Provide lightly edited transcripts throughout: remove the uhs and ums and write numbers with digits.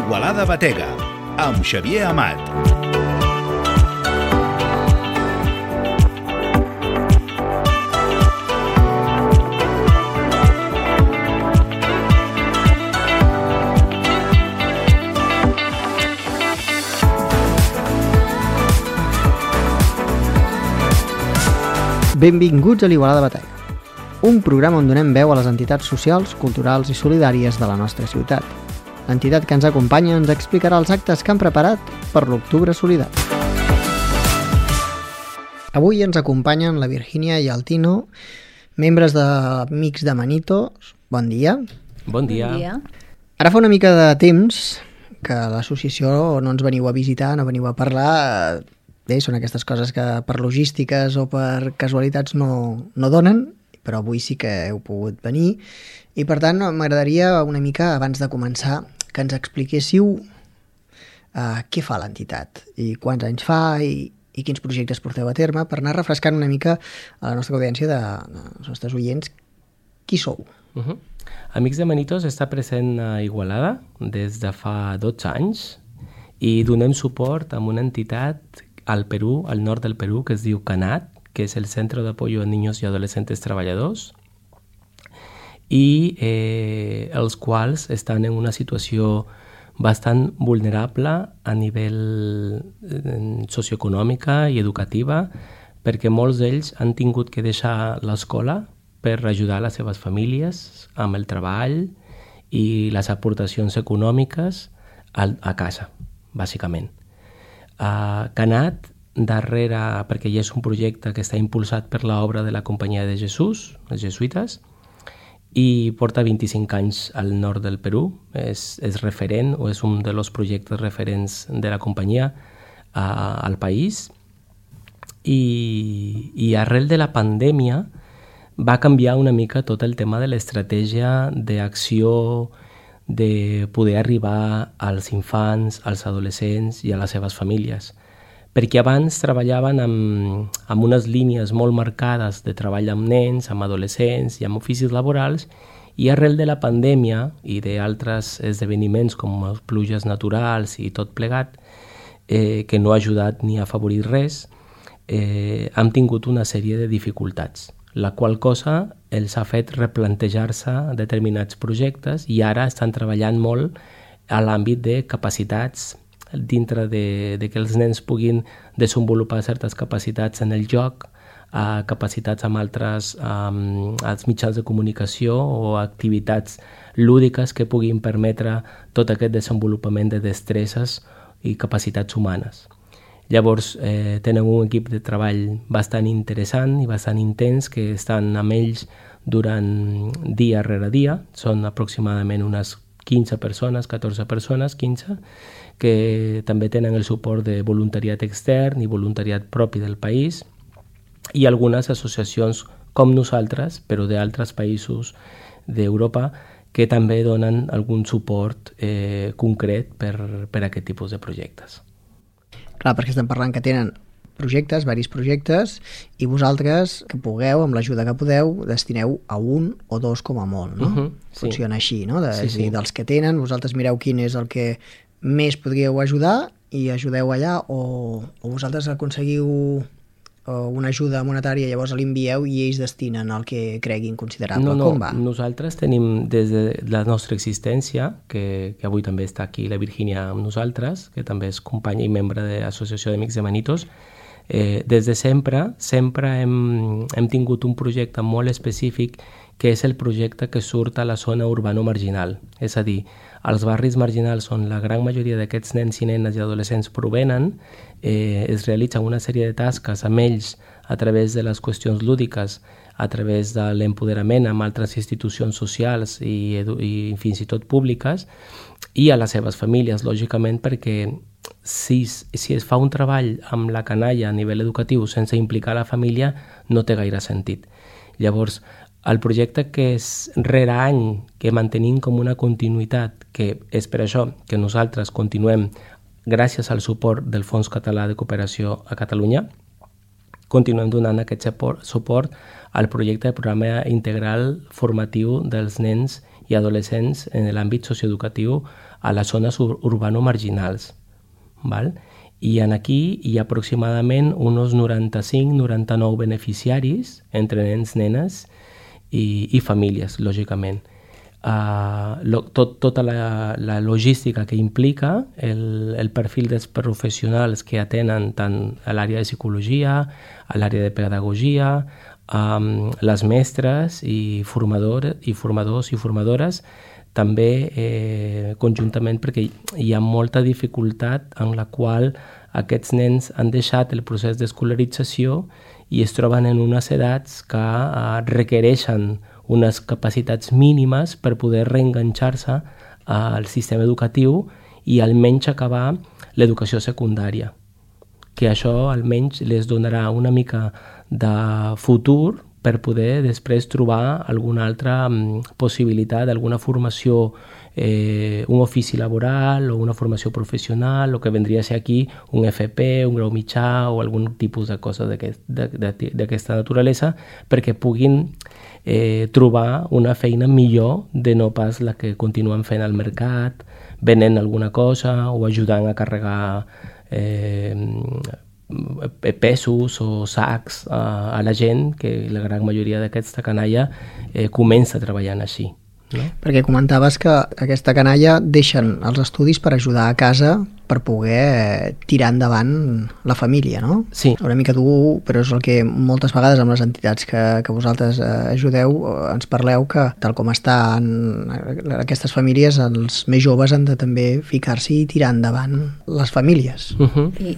Igualada Batega, amb Xavier Amat. Benvinguts a l'Igualada Batega, un programa on donem veu a les entitats socials, culturals i solidàries de la nostra ciutat. L'entitat que ens acompanya ens explicarà els actes que han preparat per l'Octubre Solidari. Avui ens acompanyen la Virgínia i el Tino, membres d'Amics de Manitos. Bon dia. Bon dia. Ara fa una mica de temps que l'associació no ens veniu a visitar, no veniu a parlar. Bé, són aquestes coses que per logístiques o per casualitats no donen, però avui sí que heu pogut venir. I per tant, m'agradaria una mica, abans de començar, que ens expliquéssiu què fa l'entitat i quants anys fa i quins projectes porteu a terme, per anar refrescant una mica a la nostra audiència dels nostres oients qui sou. Amics de Manitos està present a Igualada des de fa 12 anys i donem suport a una entitat al Perú, al nord del Perú, que es diu CANAT, que és el Centro de Apoyo a Niños y Adolescentes Treballadors, i els quals estan en una situació bastant vulnerable a nivell socioeconòmica i educativa, perquè molts d'ells han tingut que deixar l'escola per ajudar les seves famílies amb el treball i les aportacions econòmiques a casa, bàsicament. CANAT, darrere, perquè ja és un projecte que està impulsat per l'obra de la Companyia de Jesús, els jesuïtes, i porta 25 anys al nord del Perú, és referent o és un dels projectes referents de la companyia al país, i arrel de la pandèmia va canviar una mica tot el tema de l'estratègia d'acció de poder arribar als infants, als adolescents i a les seves famílies. Perquè abans treballaven amb unes línies molt marcades de treball amb nens, amb adolescents i amb oficis laborals, i arrel de la pandèmia i d'altres esdeveniments com les pluges naturals i tot plegat, que no ha ajudat ni a afavorir res, hem tingut una sèrie de dificultats, la qual cosa els ha fet replantejar-se determinats projectes i ara estan treballant molt a l'àmbit de capacitats, dintre de que els nens puguin desenvolupar certes capacitats en el joc, capacitats amb altres als mitjans de comunicació o activitats lúdiques que puguin permetre tot aquest desenvolupament de destreses i capacitats humanes. Llavors tenen un equip de treball bastant interessant i bastant intens que estan amb ells durant dia rere dia. Són aproximadament unes 15 persones, 14 persones, 15, que també tenen el suport de voluntariat extern i voluntariat propi del país i algunes associacions com nosaltres, però d'altres països d'Europa, que també donen algun suport concret per a aquest tipus de projectes. Clar, perquè estem parlant que tenen projectes, diversos projectes, i vosaltres, que pugueu, amb l'ajuda que podeu, destineu a un o dos com a molt, no? Sí. Funciona així, no? Sí. Dels que tenen, vosaltres mireu quin és el que més podríeu ajudar i ajudeu allà, o vosaltres aconseguiu una ajuda monetària, llavors l'envieu i ells destinen el que creguin considerable. Com va? Nosaltres tenim des de la nostra existència, que avui també està aquí la Virgínia amb nosaltres, que també és companya i membre de l'Associació d'Amics de Manitos, des de sempre hem tingut un projecte molt específic que és el projecte que surt a la zona urbano-marginal. És a dir, als barris marginals on la gran majoria d'aquests nens i nenes i adolescents provenen, es realitzen una sèrie de tasques amb ells a través de les qüestions lúdiques, a través de l'empoderament amb altres institucions socials i fins i tot públiques, i a les seves famílies, lògicament, perquè si es fa un treball amb la canalla a nivell educatiu sense implicar la família, no té gaire sentit. Llavors, el projecte que és rere any, que mantenim com una continuïtat, que és per això que nosaltres continuem gràcies al suport del Fons Català de Cooperació a Catalunya, continuem donant aquest suport al projecte de programa integral formatiu dels nens i adolescents en l'àmbit socioeducatiu a les zones urbano-marginals. Val? I aquí hi ha aproximadament uns 95-99 beneficiaris entre nens, nenes i famílies, lògicament. Tota la logística que implica el perfil dels professionals que atenen tant a l'àrea de psicologia, a l'àrea de pedagogia, les mestres i formadors i formadores, també conjuntament perquè hi ha molta dificultat en la qual aquests nens han deixat el procés d'escolarització i es troben en unes edats que requereixen unes capacitats mínimes per poder reenganxar-se al sistema educatiu i almenys acabar l'educació secundària, que això almenys les donarà una mica de futur per poder després trobar alguna altra possibilitat, alguna formació, un ofici laboral o una formació professional, o que vendria a ser aquí un FP, un grau mitjà o algun tipus de cosa d'aquesta naturalesa, perquè puguin trobar una feina millor de no pas la que continuen fent al mercat, venent alguna cosa o ajudant a carregar pesos o sacs a la gent, que la gran majoria d'aquesta canalla comença treballant així. No? Perquè comentaves que aquesta canalla deixen els estudis per ajudar a casa per poder tirar endavant la família, no? Sí. Una mica dur, però és el que moltes vegades amb les entitats que vosaltres ajudeu ens parleu, que tal com estan aquestes famílies, els més joves han de també ficar-s'hi i tirar endavant les famílies.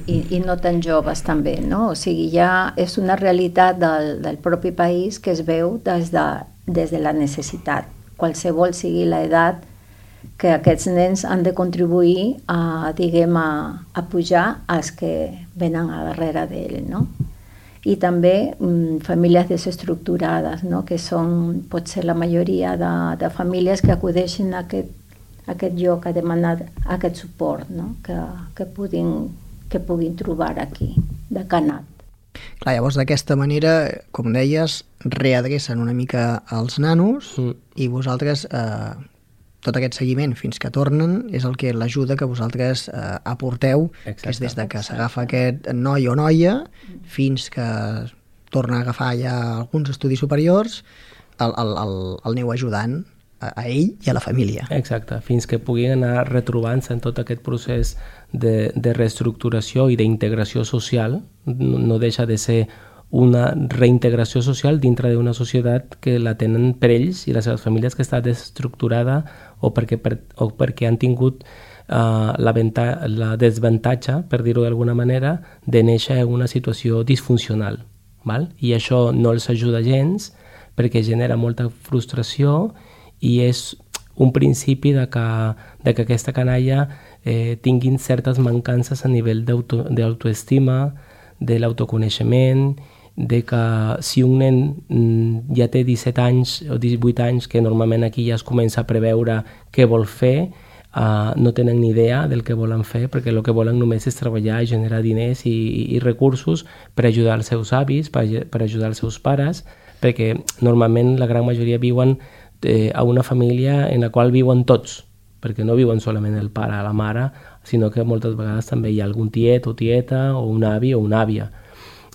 I no tan joves també, no? O sigui, ja és una realitat del propi país que es veu des de la necessitat. Qualsevol sigui l'edat, que aquests nens han de contribuir a pujar als que venen a darrere d'ell, no? I també famílies desestructurades, no? Que són potser la majoria de famílies que acudeixen a aquest lloc a demanar aquest suport, no? que puguin trobar aquí, de Canat. Clar, llavors d'aquesta manera, com deies, readrecen una mica els nanos i vosaltres, tot aquest seguiment fins que tornen és el que l'ajuda que vosaltres aporteu. Exacte. Que és des de que s'agafa aquest noi o noia fins que torna a agafar ja alguns estudis superiors, el aneu ajudant a ell i a la família. Exacte, fins que puguin anar retrobant-se en tot aquest procés de reestructuració i d'integració social. No deixa de ser una reintegració social dintre d'una societat que la tenen per ells i les seves famílies, que està desestructurada o perquè han tingut la desavantatge, per dir-ho d'alguna manera, de néixer en una situació disfuncional. Val? I això no els ajuda gens perquè genera molta frustració i és un principi de que aquesta canalla tinguin certes mancances a nivell d'autoestima, de l'autoconeixement, de que si un nen ja té 17 anys o 18 anys, que normalment aquí ja es comença a preveure què vol fer, no tenen ni idea del que volen fer, perquè el que volen només és treballar i generar diners i recursos per ajudar els seus avis, per ajudar els seus pares, perquè normalment la gran majoria viuen a una família en la qual viuen tots, perquè no viuen solament el pare o la mare, sinó que moltes vegades també hi ha algun tiet o tieta o un avi o una àvia.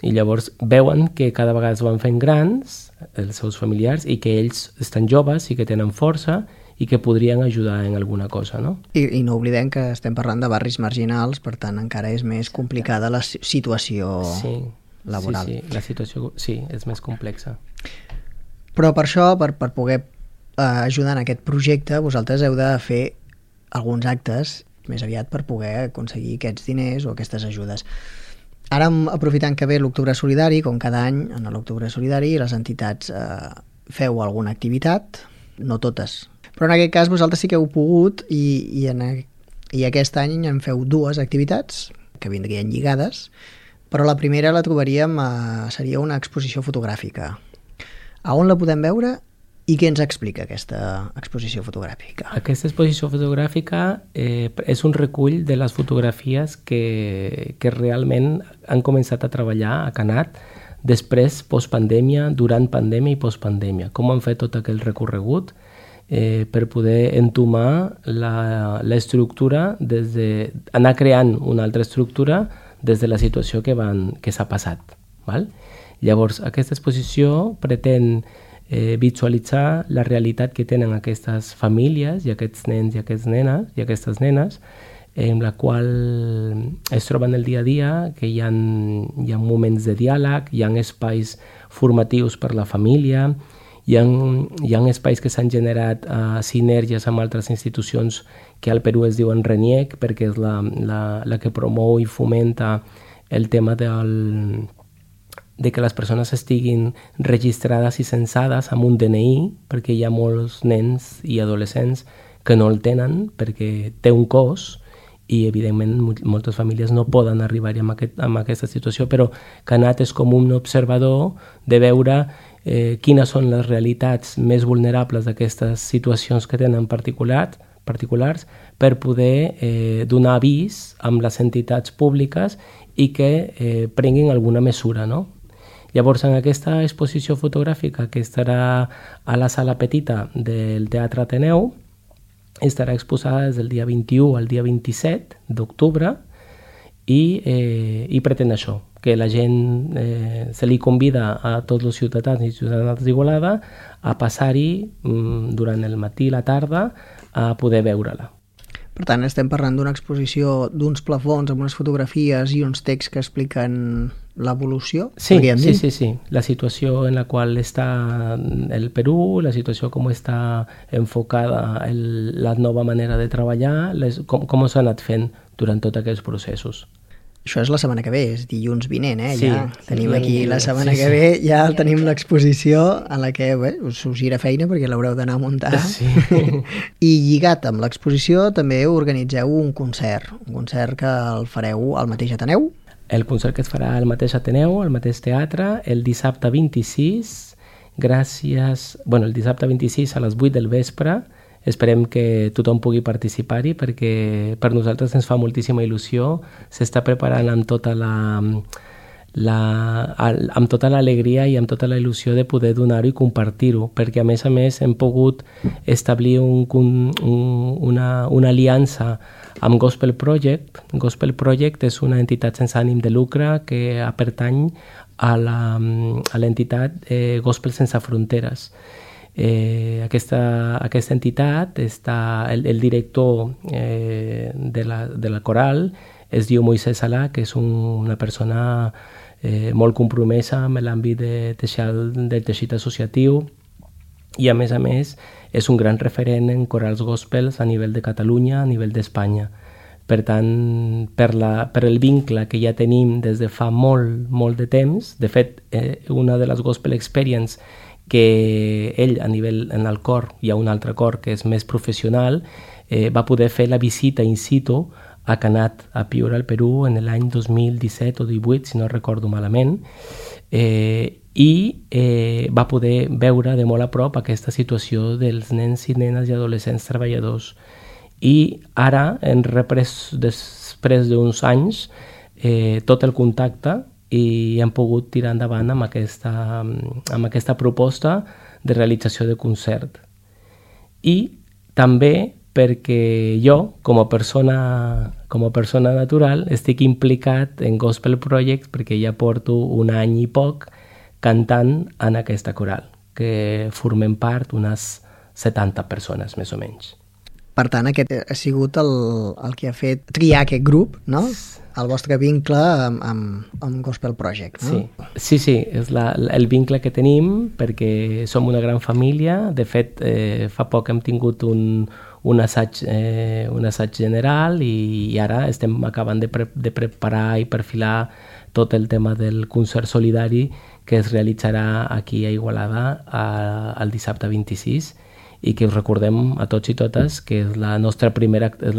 I llavors veuen que cada vegada es van fent grans els seus familiars i que ells estan joves i que tenen força i que podrien ajudar en alguna cosa, no? I no oblidem que estem parlant de barris marginals, per tant encara és més complicada la situació laboral. Sí, la situació és més complexa. Però per això, per poder ajudar en aquest projecte, vosaltres heu de fer alguns actes més aviat per poder aconseguir aquests diners o aquestes ajudes. Ara, aprofitant que ve l'Octubre Solidari, com cada any en l'Octubre Solidari, les entitats feu alguna activitat, no totes, però en aquest cas vosaltres sí que heu pogut i aquest any en feu dues activitats que vindrien lligades, però la primera la trobaríem, seria una exposició fotogràfica. A on la podem veure i què ens explica aquesta exposició fotogràfica? Aquesta exposició fotogràfica és un recull de les fotografies que realment han començat a treballar a Canat després, postpandèmia, durant pandèmia i postpandèmia. Com han fet tot aquell recorregut per poder entomar l'estructura, anar creant una altra estructura des de la situació que s'ha passat. Val? Llavors, aquesta exposició pretén visualitzar la realitat que tenen aquestes famílies i aquests nens i aquestes nenes, en la qual es troben el dia a dia, que hi ha moments de diàleg, hi ha espais formatius per la família, hi ha espais que s'han generat sinergies amb altres institucions que al Perú es diuen RENIEC, perquè és la que promou i fomenta el tema de que les persones estiguin registrades i censades amb un DNI, perquè hi ha molts nens i adolescents que no el tenen perquè té un cost i evidentment moltes famílies no poden arribar-hi amb aquesta situació, però que anat és com un observador de veure quines són les realitats més vulnerables d'aquestes situacions que tenen particulars per poder donar avís amb les entitats públiques i que prenguin alguna mesura, no? Llavors, en aquesta exposició fotogràfica que estarà a la sala petita del Teatre Ateneu, estarà exposada des del dia 21 al dia 27 d'octubre i pretén això, que la gent se li convida a tots els ciutadans i ciutadanes d'Igualada a passar-hi durant el matí i la tarda a poder veure-la. Per tant, estem parlant d'una exposició d'uns plafons amb unes fotografies i uns texts que expliquen l'evolució, podríem dir? Sí. La situació en la qual està el Perú, la situació com està enfocada la nova manera de treballar, com s'ha anat fent durant tots aquests processos. Això és la setmana que ve, és dilluns vinent, Sí, ja tenim aquí la setmana que ve, ja tenim l'exposició en la que us gira feina perquè l'haureu d'anar a muntar. Sí. I lligat amb l'exposició també organitzeu un concert que el fareu al mateix Ateneu. El concert que es farà al mateix Ateneu, al mateix teatre, el dissabte 26, el dissabte 26 a les 8 del vespre. Esperem que tothom pugui participar-hi perquè per nosaltres ens fa moltíssima il·lusió. S'està preparant amb tota l'alegria i amb tota la il·lusió de poder donar-ho i compartir-ho, perquè a més hem pogut establir una aliança amb Gospel Project. Gospel Project és una entitat sense ànim de lucre que pertany a l'entitat Gospel Sense Fronteres. Aquesta entitat el director de la coral es diu Moisés Salà, que és una persona molt compromesa amb l'àmbit del teixit associatiu i a més és un gran referent en corals gospels a nivell de Catalunya, a nivell d'Espanya. Per tant, per el vincle que ja tenim des de fa molt de temps, de fet, una de les Gospel Experience que ell a nivell en el cor, hi ha un altre cor que és més professional, va poder fer la visita in situ a Canat, a Piura, al Perú, en l'any 2017 o 2018, si no recordo malament, i va poder veure de molt a prop aquesta situació dels nens i nenes i adolescents treballadors. I ara hem reprès, després d'uns anys, tot el contacte i hem pogut tirar endavant amb aquesta proposta de realització de concert. I també perquè jo, com a persona natural, estic implicat en Gospel Project perquè ja porto un any i poc cantant en aquesta coral, que formem part unes 70 persones, més o menys. Per tant, aquest ha sigut el que ha fet triar aquest grup, no? El vostre vincle amb Gospel Project, no? Sí, és el vincle que tenim perquè som una gran família. De fet, fa poc hem tingut un assaig general i ara estem acabant de preparar i perfilar tot el tema del concert solidari que es realitzarà aquí a Igualada el dissabte 26 i que us recordem a tots i totes que és la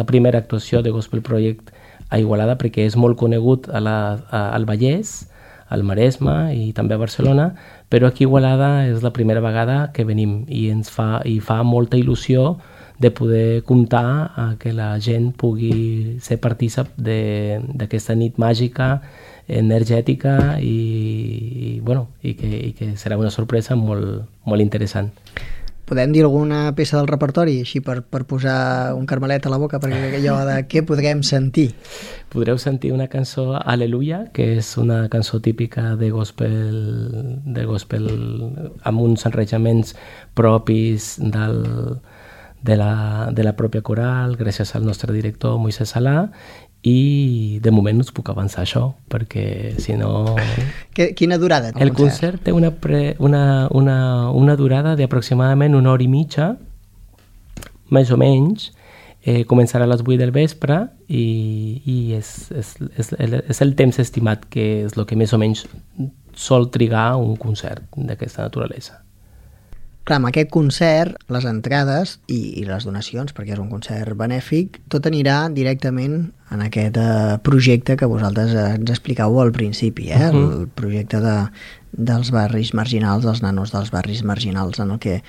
primera actuació de Gospel Project a Igualada perquè és molt conegut al Vallès, al Maresme i també a Barcelona, però aquí a Igualada és la primera vegada que venim i fa molta il·lusió de poder comptar a que la gent pugui ser partícip d'aquesta nit màgica, energètica i que serà una sorpresa molt interessant. podem dir alguna peça del repertori, així per posar un carmelet a la boca, perquè allò de què podrem sentir? Podreu sentir una cançó, Aleluia, que és una cançó típica de gospel amb uns arranjaments propis de la pròpia coral, gràcies al nostre director Moisés Salà, i de moment no us puc avançar això, perquè si no... Quina durada té el concert? Té una durada d'aproximadament 1 hora i mitja, més o menys. Començarà a les 8 del vespre i és el temps estimat, que és el que més o menys sol trigar un concert d'aquesta naturalesa. Clar, amb aquest concert, les entrades i les donacions, perquè és un concert benèfic, tot anirà directament en aquest projecte que vosaltres ens expliqueu al principi, el projecte dels barris marginals, dels nanos dels barris marginals, en el que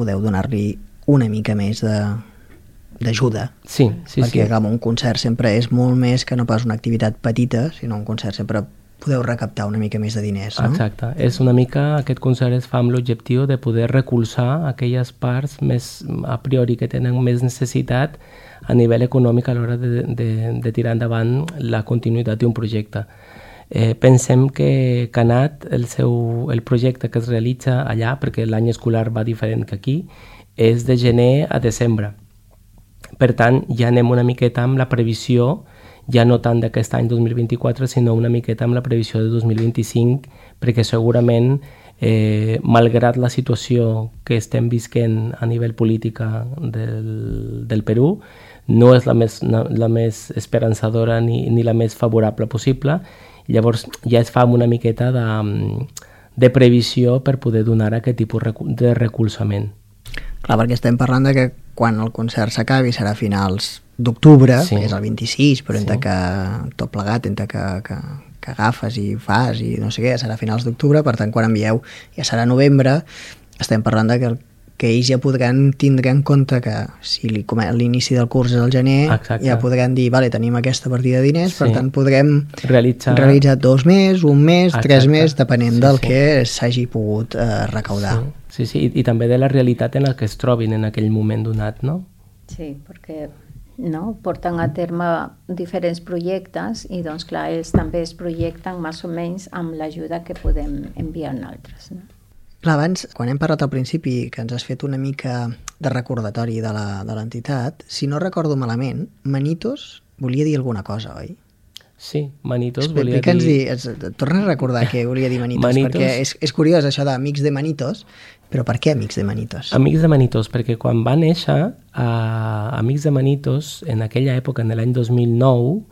podeu donar-li una mica més d'ajuda. Sí. Perquè clar, un concert sempre és molt més que no pas una activitat petita, sinó un concert sempre podeu recaptar una mica més de diners, no? Exacte. És una mica, aquest concert es fa amb l'objectiu de poder recolzar aquelles parts més a priori que tenen més necessitat a nivell econòmic a l'hora de tirar endavant la continuïtat d'un projecte. Pensem que Canat, el projecte que es realitza allà, perquè l'any escolar va diferent que aquí, és de gener a desembre. Per tant, ja anem una miqueta amb la previsió, ja no tant d'aquest any 2024, sinó una miqueta amb la previsió de 2025, perquè segurament, malgrat la situació que estem visquent a nivell política del Perú, no és la més esperançadora ni la més favorable possible. Llavors ja es fa una miqueta de previsió per poder donar aquest tipus de recolzament. Clar, perquè estem parlant de que quan el concert s'acabi serà a finals d'octubre, que és el 26, però entre que tot plegat, entre que agafes i fas i no sé què, serà a finals d'octubre, per tant, quan envieu ja serà novembre. Estem parlant de que ells ja podran tindre en compte que si l'inici del curs és al gener, ja podran dir, vale, tenim aquesta partida de diners, per tant podrem realitzar 2 mesos, 1 mes, 3 mesos, depenent del que s'hagi pogut recaudar. Sí, i també de la realitat en la que es trobin en aquell moment donat, no? Sí, perquè porten a terme diferents projectes i doncs clar, ells també es projecten més o menys amb l'ajuda que podem enviar a altres, no? Clar, abans, quan hem parlat al principi, que ens has fet una mica de recordatori de l'entitat, si no recordo malament, Manitos volia dir alguna cosa, oi? Sí, Manitos volia dir... Torna a recordar què volia dir Manitos, perquè és curiós això d'Amics de Manitos, però per què Amics de Manitos? Amics de Manitos, perquè quan va néixer Amics de Manitos, en aquella època, en l'any 2009,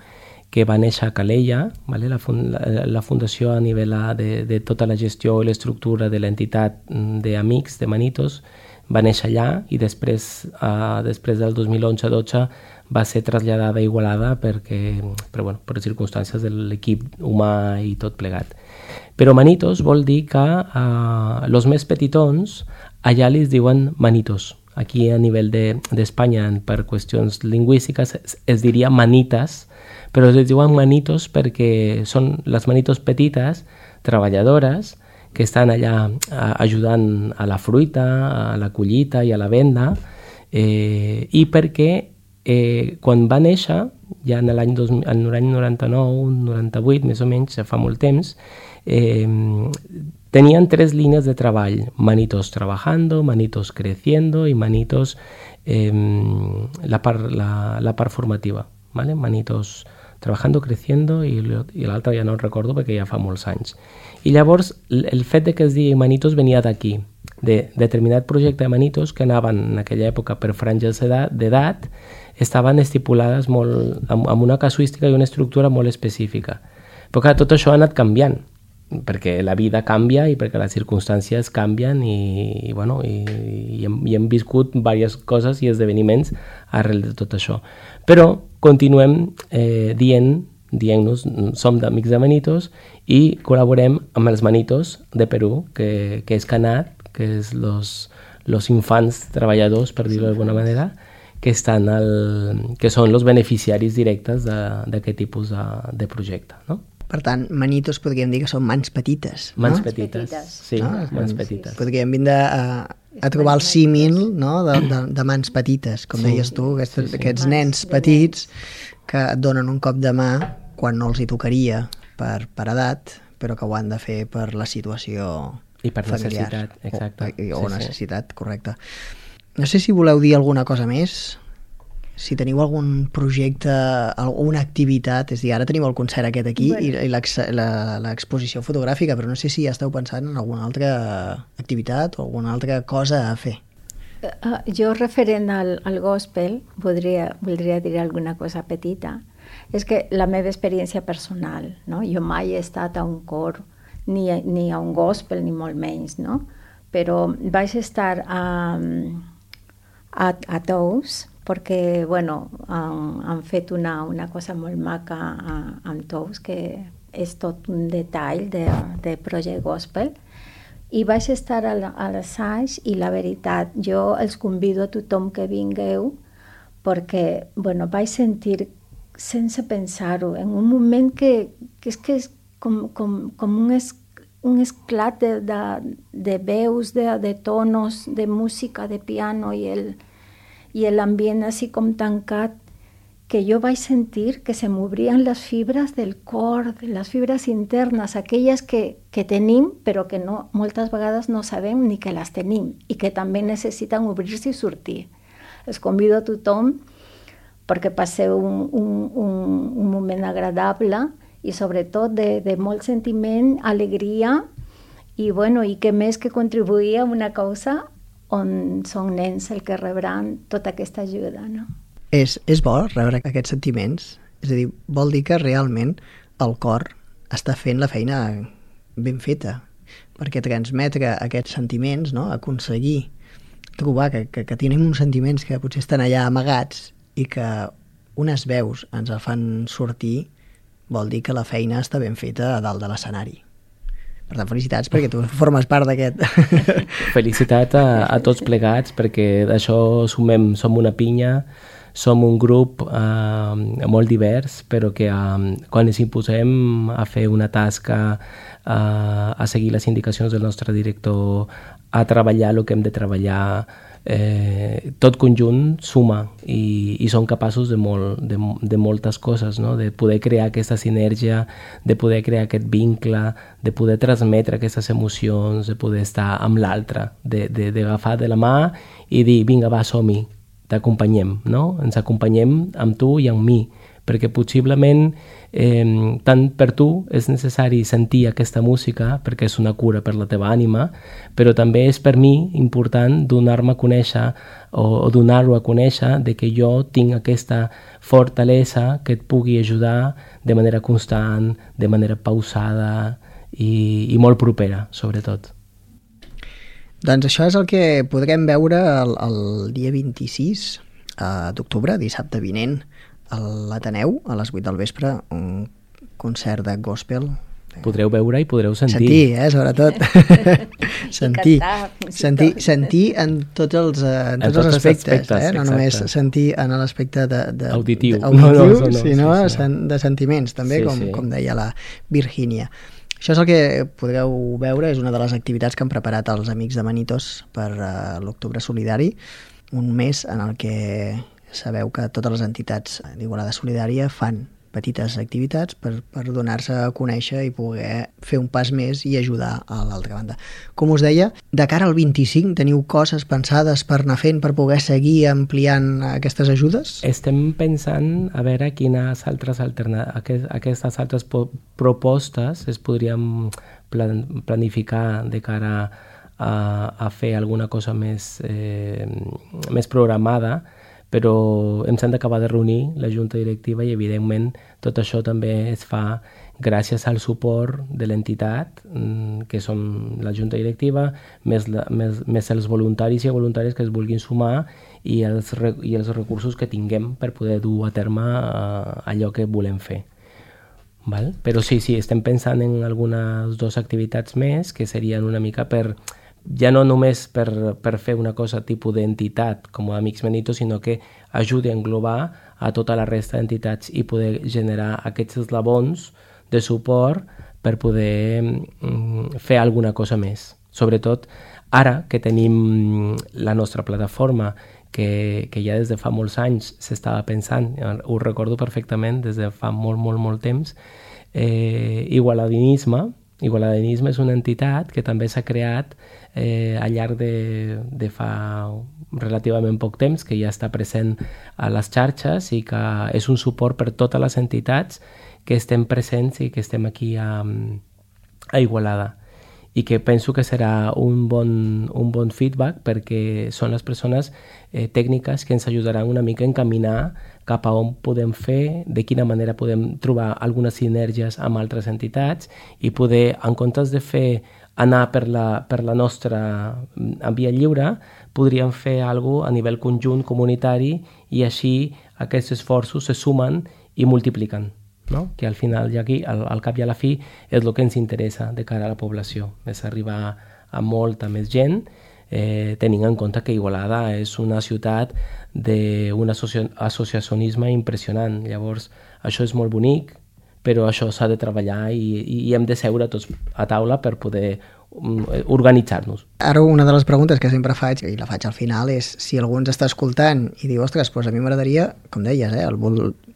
que va néixer a Calella, vale? La fundació a nivell de tota la gestió i l'estructura de l'entitat d'Amics de Manitos va néixer allà i després del 2011-12 va ser traslladada a Igualada per circumstàncies de l'equip humà i tot plegat. Però Manitos vol dir que els més petitons allà li diuen Manitos. Aquí a nivell d'Espanya, per qüestions lingüístiques, es diria manitas, però es diuen manitos perquè són les manitos petites, treballadores, que estan allà ajudant a la fruita, a la collita i a la venda, i perquè quan va néixer, ja en l'any 99, 98, més o menys, ja fa molt temps, tenían 3 líneas de treball: Manitos trabajando, Manitos creciendo y Manitos la part formativa, ¿vale? Manitos trabajando, creciendo i l'altre ja no el recordo perquè ja fa molts anys. I llavors el fet de que es digui Manitos venia d'aquí, de determinat projecte de Manitos que anaven en aquella època per franges d'edat, estaven estipulades molt, amb una casuística i una estructura molt específica. Però clar, tot això ha anat canviant, perquè la vida canvia i perquè les circumstàncies canvien i hem viscut diverses coses i esdeveniments arrel de tot això. Però continuem dient-nos som d'Amics de Manitos i col·laborem amb els Manitos de Perú, que és Canat, que és los infants treballadors, per dir-ho d'alguna manera, que són els beneficiaris directes d'aquest tipus de projecte, no? Per tant, manitos podríem dir que són mans petites, no? Mans petites, sí, No? mans petites. Podríem vindre a trobar el símil, no? de mans petites, com deies tu, aquests nens petits que et donen un cop de mà quan no els hi tocaria per edat, però que ho han de fer per la situació I per familiar. necessitat, exacte. O necessitat, correcte. No sé si voleu dir alguna cosa més, si teniu algun projecte, alguna activitat, és a dir, ara tenim el concert aquest aquí i l'exposició fotogràfica, però no sé si ja esteu pensant en alguna altra activitat o alguna altra cosa a fer. Jo, referent al gospel, voldria dir alguna cosa petita. És que la meva experiència personal, no? Jo mai he estat a un cor, ni a un gospel, ni molt menys, no? Però vaig estar a Tous, perquè han fet una cosa molt maca amb Tous, que és tot un detall de projecte gospel, i vaig estar a l'assaig i la veritat, jo els convido a tothom que vingueu perquè vaig sentir sense pensar-ho, en un moment que és com un esclat de veus, de tonos, de música, de piano i l'ambient així com tancat, que jo vaig sentir que se m'obrien les fibres del cor, les fibres internes, aquelles que tenim, però que moltes vegades no sabem ni que les tenim i que també necessiten obrir-se i sortir. Els convido a tothom perquè passeu un moment agradable i sobretot de molt sentiment, alegria i què més que contribuir a una causa on són nens el que rebran tota aquesta ajuda, no? És bo rebre aquests sentiments? És a dir, vol dir que realment el cor està fent la feina ben feta, perquè transmetre aquests sentiments, no? Aconseguir trobar que tenim uns sentiments que potser estan allà amagats i que unes veus ens el fan sortir, vol dir que la feina està ben feta a dalt de l'escenari. Per tant, felicitats perquè tu formes part d'aquest. Felicitat a tots plegats perquè d'això som una pinya, som un grup molt divers, però que quan ens imposem a fer una tasca, a seguir les indicacions del nostre director, a treballar el que hem de treballar, tot conjunt suma i som capaços de moltes coses, no? De poder crear aquesta sinergia, de poder crear aquest vincle, de poder transmetre aquestes emocions, de poder estar amb l'altre, d'agafar de la mà i dir, vinga, va, som-hi, t'acompanyem, no? Ens acompanyem amb tu i amb mi, perquè possiblement tant per tu és necessari sentir aquesta música perquè és una cura per la teva ànima, però també és per mi important donar-me a conèixer o donar-ho a conèixer de que jo tinc aquesta fortalesa que et pugui ajudar de manera constant, de manera pausada i molt propera, sobretot. Doncs això és el que podrem veure el dia 26 d'octubre, dissabte vinent, a l'Ateneu, a les 8 del vespre, un concert de gospel. Podreu veure i podreu sentir. Sentir, sobretot. sentir en tots els aspectes, no només sentir en l'aspecte auditiu, sinó de sentiments, també, com deia la Virgínia. Això és el que podreu veure, és una de les activitats que han preparat els Amics de Manitos per l'Octubre Solidari, un mes en el que sabeu que totes les entitats d'Igualada Solidària fan petites activitats per donar-se a conèixer i poder fer un pas més i ajudar a l'altra banda. Com us deia, de cara al 25 teniu coses pensades per anar fent, per poder seguir ampliant aquestes ajudes? Estem pensant a veure quines altres aquestes altres propostes es podrien planificar de cara a fer alguna cosa més programada, però ens hem d'acabar de reunir la junta directiva i evidentment tot això també es fa gràcies al suport de l'entitat, que són la junta directiva, més els voluntaris i voluntàries que es vulguin sumar i els recursos que tinguem per poder dur a terme allò que volem fer. Val? Però sí, estem pensant en algunes dues activitats més que serien una mica ja no només per fer una cosa tipus d'entitat com a Amics Manitos, sinó que ajudi a englobar a tota la resta d'entitats i poder generar aquests eslabons de suport per poder fer alguna cosa més. Sobretot ara que tenim la nostra plataforma, que ja des de fa molts anys s'estava pensant, ho recordo perfectament des de fa molt temps, Igualadinisme és una entitat que també s'ha creat al llarg de fa relativament poc temps, que ja està present a les xarxes i que és un suport per totes les entitats que estem presents i que estem aquí a Igualada. I que penso que serà un bon feedback perquè són les persones tècniques que ens ajudaran una mica a encaminar cap a on podem fer, de quina manera podem trobar algunes sinergies amb altres entitats i poder, en comptes de fer anar per la nostra via lliure, podríem fer alguna cosa a nivell conjunt comunitari i així aquests esforços se sumen i multipliquen. No? Que al final, ja aquí, al cap i a la fi, és el que ens interessa de cara a la població, és arribar a molta més gent, tenint en compte que Igualada és una ciutat d'un associacionisme impressionant. Llavors, això és molt bonic, però això s'ha de treballar i hem de seure tots a taula per poder organitzar-nos. Ara una de les preguntes que sempre faig, i la faig al final, és si algú ens està escoltant i diu, ostres, doncs a mi m'agradaria, com deies,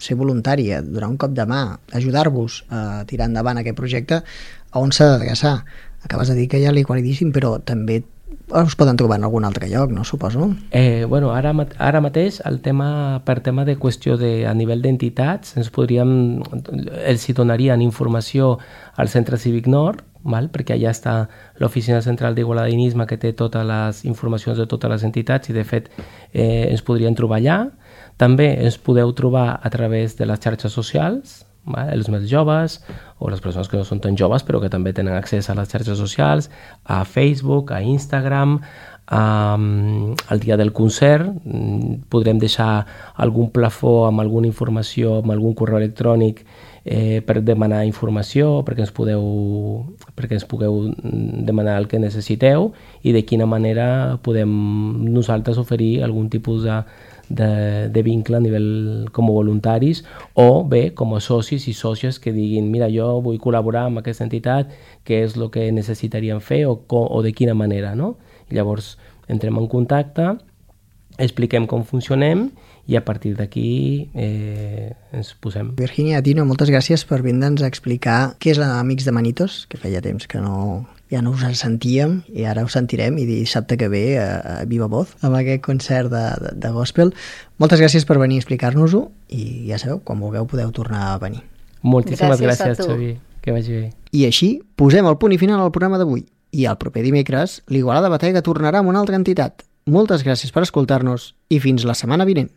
ser voluntari, donar un cop de mà, ajudar-vos a tirar endavant aquest projecte, a on s'ha d'adreçar? Acabes de dir que hi ha l'Igualadíssim, però també us poden trobar en algun altre lloc, no? Suposo. Ara mateix, per tema de qüestió a nivell d'entitats, els hi donarien informació al Centre Cívic Nord, perquè allà està l'Oficina Central d'Igualadinisme que té totes les informacions de totes les entitats i de fet ens podrien trobar allà. També ens podeu trobar a través de les xarxes socials, els més joves o les persones que no són tan joves però que també tenen accés a les xarxes socials, a Facebook, a Instagram, al dia del concert podrem deixar algun plafó amb alguna informació, amb algun correu electrònic per demanar informació, perquè ens pugueu demanar el que necessiteu i de quina manera podem nosaltres oferir algun tipus de vincle a nivell com a voluntaris o bé com a socis i sòcies que diguin mira, jo vull col·laborar amb aquesta entitat, què és el que necessitaríem fer o de quina manera, no? I llavors entrem en contacte, expliquem com funcionem i a partir d'aquí ens posem. Virginia, Tino, moltes gràcies per vindre'ns a explicar què és l'Amics de Manitos, que feia temps que ja no us en sentíem i ara us sentirem i dissabte que ve a Viva Voz amb aquest concert de gospel. Moltes gràcies per venir a explicar-nos-ho i ja sabeu, quan vulgueu podeu tornar a venir. Moltíssimes gràcies Xavi, que vagi bé. I així posem el punt i final al programa d'avui i el proper dimecres l'Igualada Batega tornarà amb una altra entitat. Moltes gràcies per escoltar-nos i fins la setmana vinent.